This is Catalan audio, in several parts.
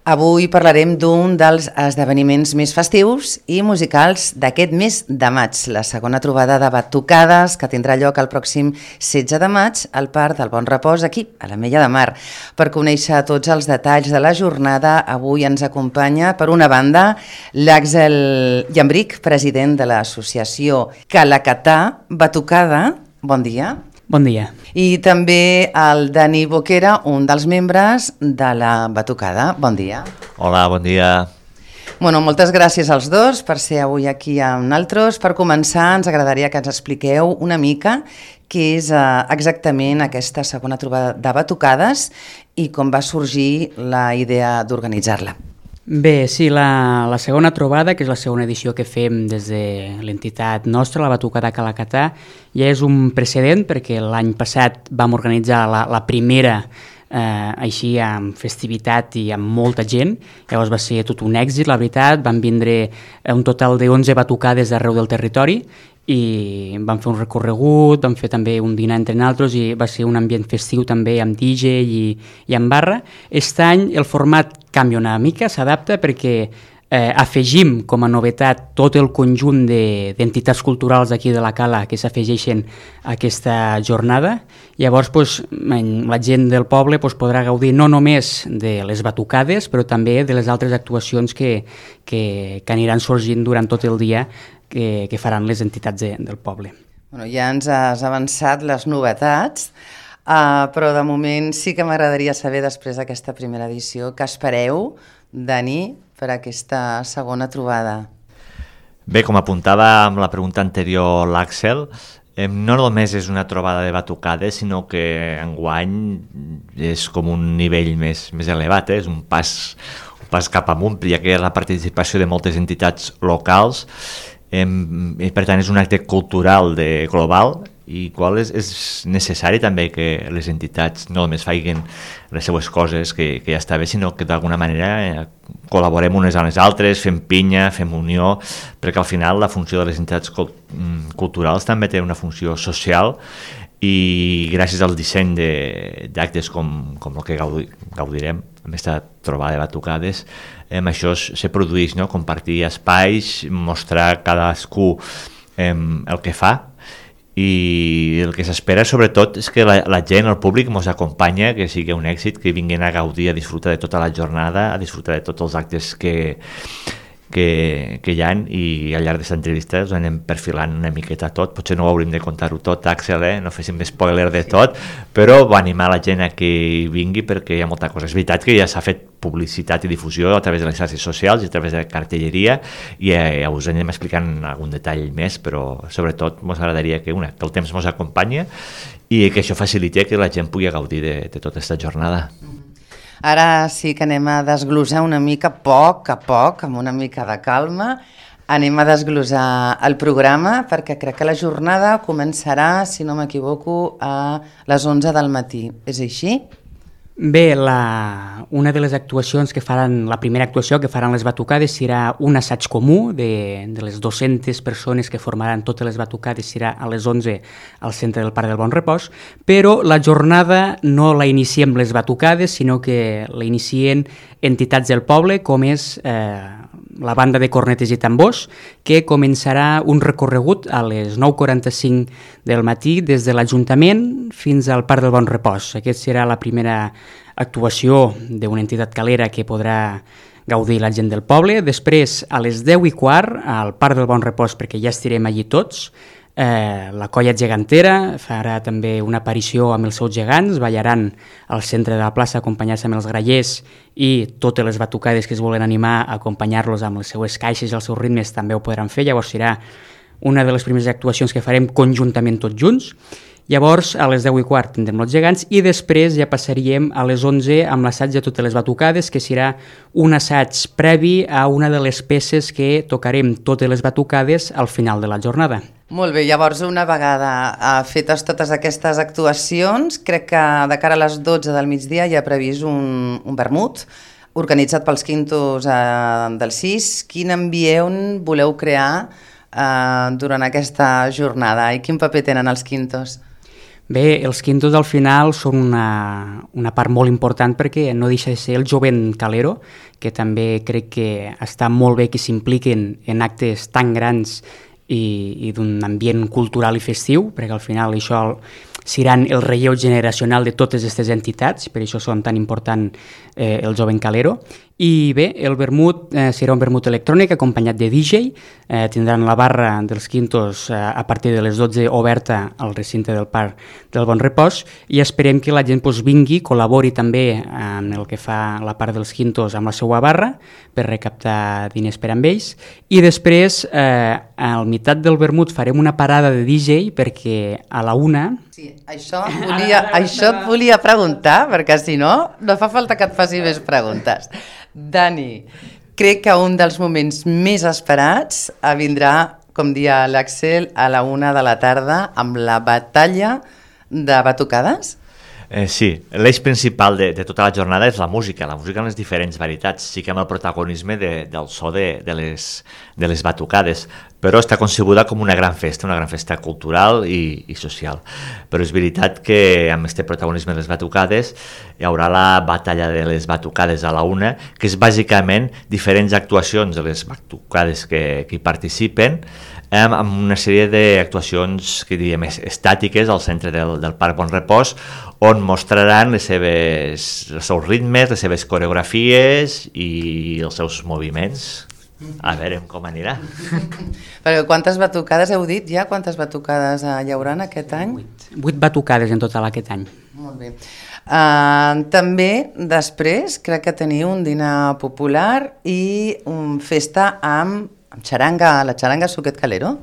Avui parlarem d'un dels esdeveniments més festius i musicals d'aquest mes de maig, la segona trobada de batucades que tindrà lloc el pròxim 16 de maig al Parc del Bon Repòs, aquí, a l'Ametlla de Mar. Per conèixer tots els detalls de la jornada, avui ens acompanya, per una banda, l'Àxel Llambric, president de l'associació Calacatà Batucada. Bon dia. Bon dia. I també el Dani Boquera, un dels membres de la Batucada. Bon dia. Hola, bon dia. Moltes gràcies als dos per ser avui aquí amb nosaltres. Per començar, ens agradaria que ens expliqueu una mica què és exactament aquesta segona trobada de batucades i com va sorgir la idea d'organitzar-la. Bé, sí, la segona trobada, que és la segona edició que fem des de l'entitat nostra, la Batucada Calacatà, ja és un precedent perquè l'any passat vam organitzar la primera així amb festivitat i amb molta gent. Llavors va ser tot un èxit, la veritat. Van vindre un total de 11 batucades d'arreu del territori i vam fer un recorregut, vam fer també un dinar entre nosaltres i va ser un ambient festiu també amb DJ i amb barra. Aquest any el format canvia una mica, s'adapta perquè afegim com a novetat tot el conjunt d'entitats culturals d'aquí de la Cala que s'afegeixen a aquesta jornada. Llavors la gent del poble podrà gaudir no només de les batucades però també de les altres actuacions que aniran sorgint durant tot el dia que faran les entitats del poble. Ja ens has avançat les novetats, però de moment sí que m'agradaria saber, després d'aquesta primera edició, què espereu, Dani, per aquesta segona trobada? Bé, com apuntava amb la pregunta anterior l'Àxel, no només és una trobada de batucades, sinó que enguany és com un nivell més elevat, és un pas cap amunt, ja que hi ha la participació de moltes entitats locals, i per tant és un acte cultural global i qual és necessari també que les entitats no només facin les seues coses, que ja està bé, sinó que d'alguna manera col·laborem unes a les altres, fem pinya, fem unió, perquè al final la funció de les entitats culturals també té una funció social i gràcies al disseny d'actes com el que gaudirem amb aquesta trobada de batucades, això se produeix, no? Compartir espais, mostrar cadascú el que fa, i el que s'espera sobretot és que la gent, el públic ens acompanya, que sigui un èxit, que vinguin a gaudir, a disfrutar de tota la jornada, a disfrutar de tots els actes que hi ha, i al llarg d'aquesta entrevista us anem perfilant una miqueta tot. Potser no ho hauríem de contar-ho tot, Àxel, no féssim spoiler de tot, però va animar la gent a que hi vingui perquè hi ha molta cosa. És veritat que ja s'ha fet publicitat i difusió a través de les xarxes socials i a través de cartelleria, i us anem explicant algun detall més, però sobretot ens agradaria que el temps ens acompanya i que això faciliti que la gent pugui gaudir de tota aquesta jornada. Ara sí que anem a desglosar una mica, a poc, amb una mica de calma, anem a desglosar el programa, perquè crec que la jornada començarà, si no m'equivoco, a les 11 del matí. És així? Bé, una de les actuacions que faran, la primera actuació que faran les batucades serà un assaig comú de les 200 persones que formaran totes les batucades, serà a les 11 al centre del Parc del Bon Repòs, però la jornada no la iniciem les batucades, sinó que la inicien entitats del poble, com és la banda de cornetes i tambors, que començarà un recorregut a les 9:45 del matí des de l'Ajuntament fins al Parc del Bon Repòs. Aquesta serà la primera actuació d'una entitat calera que podrà gaudir la gent del poble. Després, a les 10:15, al Parc del Bon Repòs, perquè ja estirem allí tots, la colla gegantera farà també una aparició amb els seus gegants, ballaran al centre de la plaça acompanyats amb els grallers, i totes les batucades que es volen animar a acompanyar-los amb les seues caixes i els seus ritmes també ho podran fer. Llavors serà una de les primeres actuacions que farem conjuntament tots junts. Llavors, a les 10:15 tindrem els gegants i després ja passaríem a les 11 amb l'assaig de totes les batucades, que serà un assaig previ a una de les peces que tocarem totes les batucades al final de la jornada. Molt bé, llavors una vegada fetes totes aquestes actuacions, crec que de cara a les 12 del migdia hi ha previst un vermut organitzat pels Quintos del CIS. Quin ambient voleu crear durant aquesta jornada i quin paper tenen els Quintos? Bé, els quintos al final són una part molt important perquè no deixa de ser el jovent calero, que també crec que està molt bé que s'impliquen en actes tan grans i d'un ambient cultural i festiu, perquè al final això seran el relleu generacional de totes aquestes entitats, per això són tan important el jovent calero. I bé, el vermut serà un vermut electrònic acompanyat de DJ, tindran la barra dels quintos a partir de les 12 oberta al recinte del Parc del Bon Repòs i esperem que la gent vingui, col·labori també en el que fa la part dels quintos amb la seva barra per recaptar diners per amb ells i després al meitat del vermut farem una parada de DJ perquè a la 1... Sí, això et volia preguntar perquè si no fa falta que et faci més preguntes. Dani, crec que un dels moments més esperats vindrà, com dia l'Àxel, a la 1 de la tarda amb la batalla de batucades? Sí, l'eix principal de tota la jornada és la música en les diferents varietats, sí que amb el protagonisme del so de les batucades, però està concebuda com una gran festa cultural i social. Però és veritat que amb aquest protagonisme de les batucades hi haurà la batalla de les batucades a la 1, que és bàsicament diferents actuacions de les batucades que hi participen, amb una sèrie d'actuacions que diríem estàtiques al centre del Parc Bon Repòs, on mostraran els seus ritmes, les seves coreografies i els seus moviments. A veure com anirà. Però quantes batucades heu dit ja? Quantes batucades hi haurà aquest any? 8 batucades en total aquest any. Molt bé. També després crec que teniu un dinar popular i festa amb xaranga, la xaranga Suquet Calero.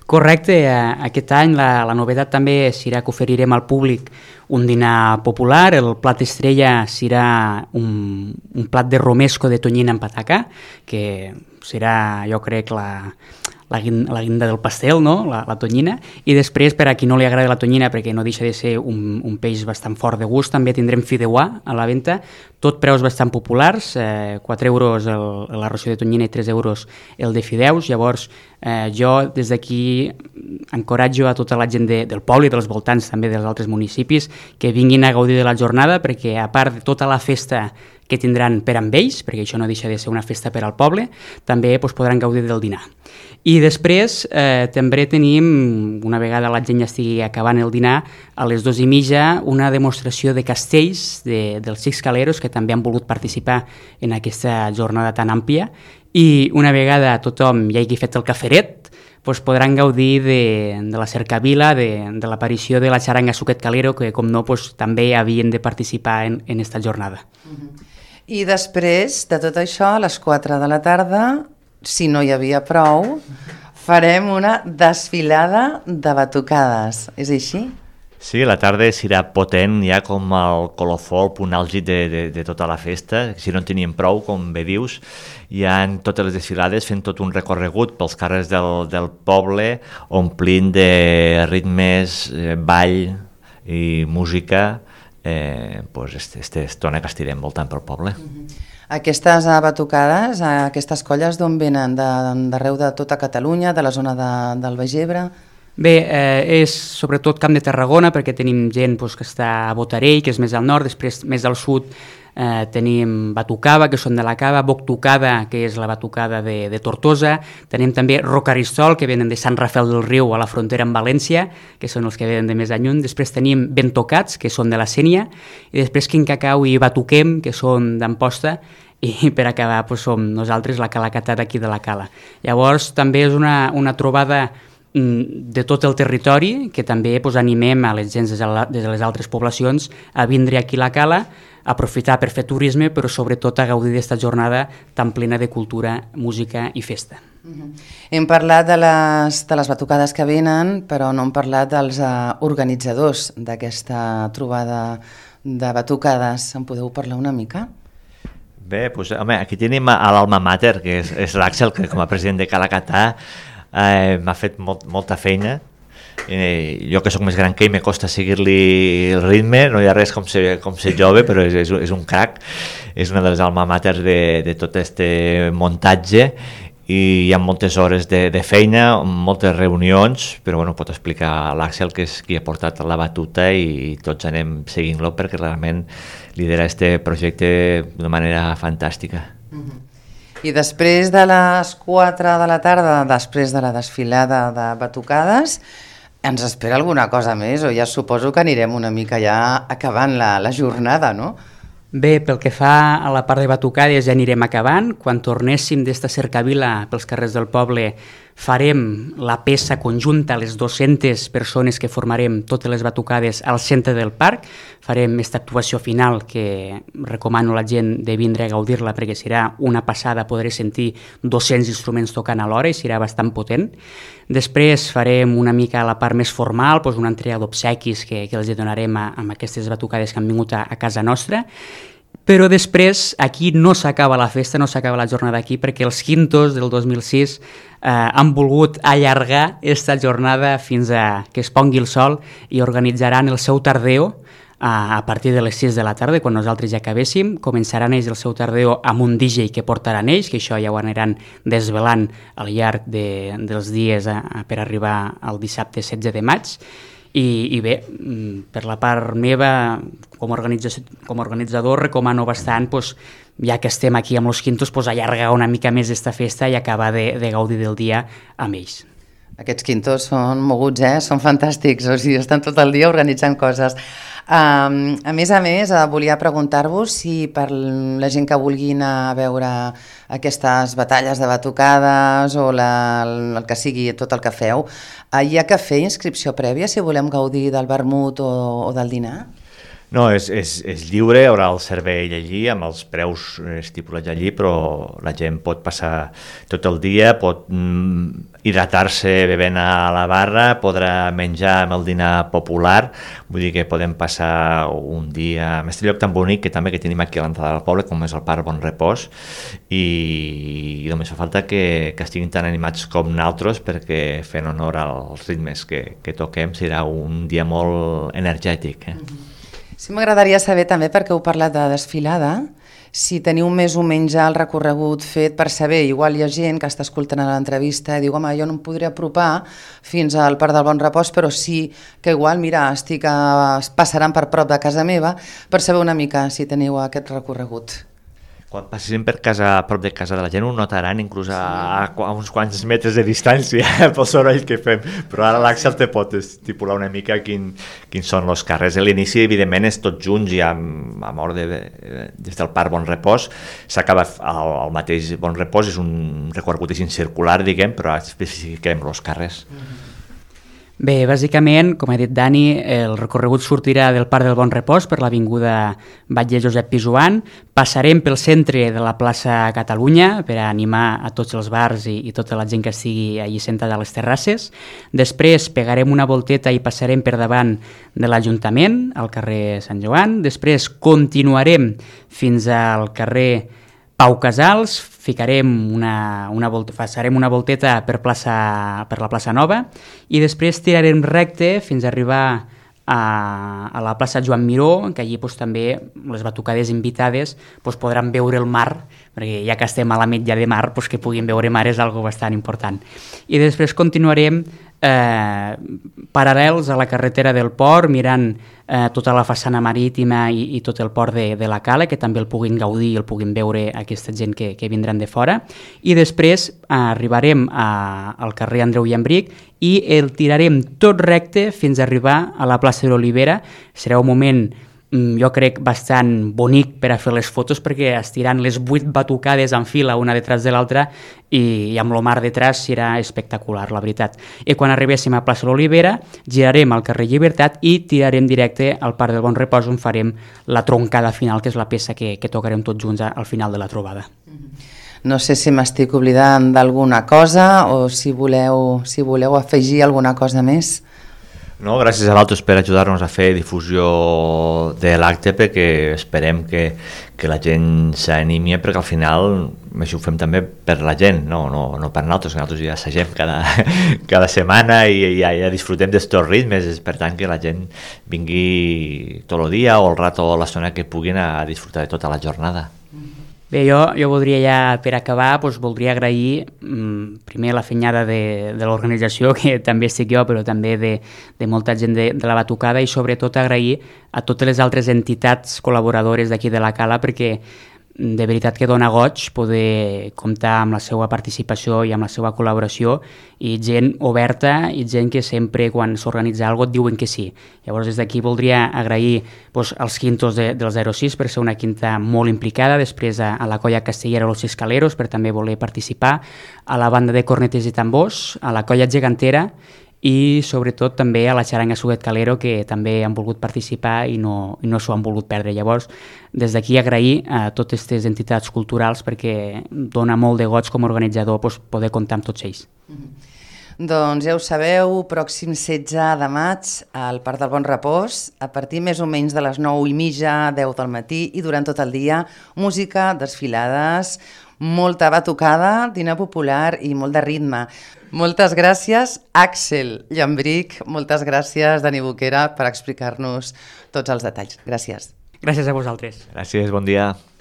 Correcte, aquest any la novetat també serà que oferirem al públic un dinar popular, el plat estrella serà un plat de romesco de tonyina amb pataca, que serà, jo crec, la guinda del pastel, no? la tonyina, i després, per a qui no li agrada la tonyina, perquè no deixa de ser un peix bastant fort de gust, també tindrem fideuà a la venda, tot preus bastant populars, 4 euros la ració de tonyina i 3 euros el de fideus. Llavors jo des d'aquí encoratjo a tota la gent del poble i dels voltants també dels altres municipis que vinguin a gaudir de la jornada, perquè a part de tota la festa que tindran per amb ells, perquè això no deixa de ser una festa per al poble, també podran gaudir del dinar. I després també tenim, una vegada la gent ja estigui acabant el dinar, a les 2:30 una demostració de castells dels Xics Caleros que també han volgut participar en aquesta jornada tan àmplia, i una vegada tothom ja hagi fet el caferet, podran gaudir de la cercavila, de l'aparició de la xaranga Suquet Calero, que com no també havien de participar en aquesta jornada. I després de tot això, a les 4 de la tarda, si no hi havia prou, farem una desfilada de batucades. És així? Sí, la tarda serà potent, ja com el colofó, el punt àlgid de tota la festa. Si no en teníem prou, com bé dius, hi ha totes les desfilades fent tot un recorregut pels carrers del poble, omplint de ritmes, ball i música, aquesta estona que estirem voltant pel poble. Aquestes batucades, aquestes colles d'on venen? D'arreu de tota Catalunya, de la zona del Baix Ebre? Bé, és sobretot Camp de Tarragona, perquè tenim gent que està a Botarell, que és més al nord, després més al sud tenim Batucava, que són de la Cava, Boctucada, que és la batucada de Tortosa, tenim també Rocaristol, que venen de Sant Rafel del Riu a la frontera amb València, que són els que venen de més lluny, després tenim Bentocats, que són de la Sénia, i després Quincacau i Batuquem, que són d'Amposta, i per acabar som nosaltres la Calacatà d'aquí de la Cala. Llavors també és una trobada de tot el territori, que també animem a les gens de les altres poblacions a vindre aquí a la Cala, a aprofitar per fer turisme, però sobretot a gaudir d'aquesta jornada tan plena de cultura, música i festa. Hem parlat de les batucades que venen, però no hem parlat dels organitzadors d'aquesta trobada de batucades. En podeu parlar una mica? Bé, aquí tenim a l'Alma Mater, que és l'Àxel, que com a president de Calacatà m'ha fet molta feina. Jo que sóc més gran que ell, me costa seguir-li el ritme, no hi ha res com ser jove, però és un crac, és una de les alma mater de tot aquest muntatge, i hi ha moltes hores de feina, moltes reunions, però bueno, pot explicar l'Àxel, que és qui ha portat la batuta, i tots anem seguint-lo perquè realment lidera este projecte d'una manera fantàstica. I després de les 4 de la tarda, després de la desfilada de batucades, ens espera alguna cosa més, o ja suposo que anirem una mica ja acabant la jornada, no? Bé, pel que fa a la part de batucades ja anirem acabant. Quan tornéssim d'esta cercavila pels carrers del poble farem la peça conjunta, les 200 persones que formarem totes les batucades al centre del parc. Farem aquesta actuació final que recomano a la gent de vindre a gaudir-la perquè serà una passada, podré sentir 200 instruments tocant alhora i serà bastant potent. Després farem una mica la part més formal, doncs una entrega d'obsequis que els donarem amb aquestes batucades que han vingut a casa nostra. Però després aquí no s'acaba la festa, no s'acaba la jornada aquí, perquè els Quintos del 2006 han volgut allargar aquesta jornada fins a que es pongui el sol i organitzaran el seu tardeo a partir de les 6 de la tarda, quan nosaltres ja acabéssim. Començaran ells el seu tardeo amb un DJ que portaran ells, que això ja ho aniran desvelant al llarg dels dies per arribar al dissabte 16 de maig. I bé, per la part meva, com a organitzador, recomano bastant, ja que estem aquí amb els Quintos, allargar una mica més aquesta festa i acabar de gaudir del dia amb ells. Aquests Quintos són moguts, són fantàstics, o sigui, estan tot el dia organitzant coses. A més, volia preguntar-vos si per la gent que vulgui anar a veure aquestes batalles de batucades o el que sigui, tot el que feu, hi ha que fer inscripció prèvia si volem gaudir del vermut o del dinar? No, és lliure, hi haurà el servei allí amb els preus estipulats allí, però la gent pot passar tot el dia, pot hidratar-se bevent a la barra, podrà menjar amb el dinar popular, vull dir que podem passar un dia en aquest lloc tan bonic que també que tenim aquí a l'entrada del poble, com és el Parc Bon Repòs, i només fa falta que estiguin tan animats com nosaltres, perquè fent honor als ritmes que toquem serà un dia molt energètic. Sí, m'agradaria saber també, perquè heu parlat de desfilada, si teniu més o menys el recorregut fet per saber, igual hi ha gent que està escoltant l'entrevista i diu, home, jo no em podré apropar fins al Parc del Bon Repòs, però sí que igual, mira, passaran per prop de casa meva, per saber una mica si teniu aquest recorregut. Quan passessin per casa, a prop de casa de la gent, ho notaran inclús a uns quants metres de distància pel soroll que fem, però ara l'Àxel te pot estipular una mica quins són els carrers. A l'inici, evidentment, és tots junts i des del Parc Bon Repòs s'acaba el mateix Bon Repòs, és un recorregut circular, diguem, però especifiquem els carrers. Bé, bàsicament, com ha dit Dani, el recorregut sortirà del Parc del Bon Repòs per l'avinguda Batlle Josep Pijoan, passarem pel centre de la plaça Catalunya per a animar a tots els bars i tota la gent que estigui allí sentada a les terrasses. Després pegarem una volteta i passarem per davant de l'Ajuntament, al carrer Sant Joan. Després continuarem fins al carrer Pau Casals, farem una volteta per la plaça Nova i després tirarem recte fins a arribar a la plaça Joan Miró, que allí també les batucades invitades podran veure el mar, perquè ja que estem a la mitja de mar, que puguin veure mar és algo bastant important. I després continuarem paral·lels a la carretera del port, mirant tota la façana marítima i tot el port de la Cala, que també el puguin gaudir i el puguin veure aquesta gent que vindran de fora. I després arribarem al carrer Andreu Llambric i el tirarem tot recte fins a arribar a la plaça de l'Olivera. Serà un moment, jo crec, bastant bonic per a fer les fotos, perquè estiran les 8 batucades en fila una detrás de l'altra i amb el mar detrás serà espectacular, la veritat. I quan arribéssim a plaça de l'Olivera girarem al carrer Llibertat i tirarem directe al Parc del Bon Repòs, on farem la troncada final, que és la peça que tocarem tots junts al final de la trobada. No sé si m'estic oblidant d'alguna cosa o si voleu afegir alguna cosa més. No, gràcies a vosaltres per ajudar-nos a fer difusió de l'acte, perquè esperem que la gent s'animi, perquè al final això ho fem també per la gent, no per nosaltres ja assagem cada setmana i ja disfrutem d'estos ritmes, per tant que la gent vingui tot el dia o el rato o l'estona que puguin a disfrutar de tota la jornada. Bé, jo voldria ja, per acabar, voldria agrair primer la fenyada de l'organització, que també estic jo, però també de molta gent de la batucada, i sobretot agrair a totes les altres entitats col·laboradores d'aquí de la Cala, perquè de veritat que dona goig poder comptar amb la seva participació i amb la seva col·laboració, i gent oberta i gent que sempre quan s'organitza alguna cosa et diuen que sí. Llavors des d'aquí voldria agrair als quintos del 06 per ser una quinta molt implicada, després a la colla castellera Los Escaleros per també voler participar, a la banda de cornetes i tambors, a la colla gegantera i sobretot també a la xaranga Suguet Calero, que també han volgut participar i no s'ho han volgut perdre. Llavors, des d'aquí agrair a totes aquestes entitats culturals, perquè dona molt de goig com a organitzador poder comptar amb tots ells. Doncs ja ho sabeu, pròxim 16 de maig al Parc del Bon Repòs, a partir més o menys de les 9:30, 10 del matí, i durant tot el dia, música, desfilades, molta batucada, dinar popular i molt de ritme. Moltes gràcies, Àxel Llambric, moltes gràcies, Dani Boquera, per explicar-nos tots els detalls. Gràcies. Gràcies a vosaltres. Gràcies, bon dia.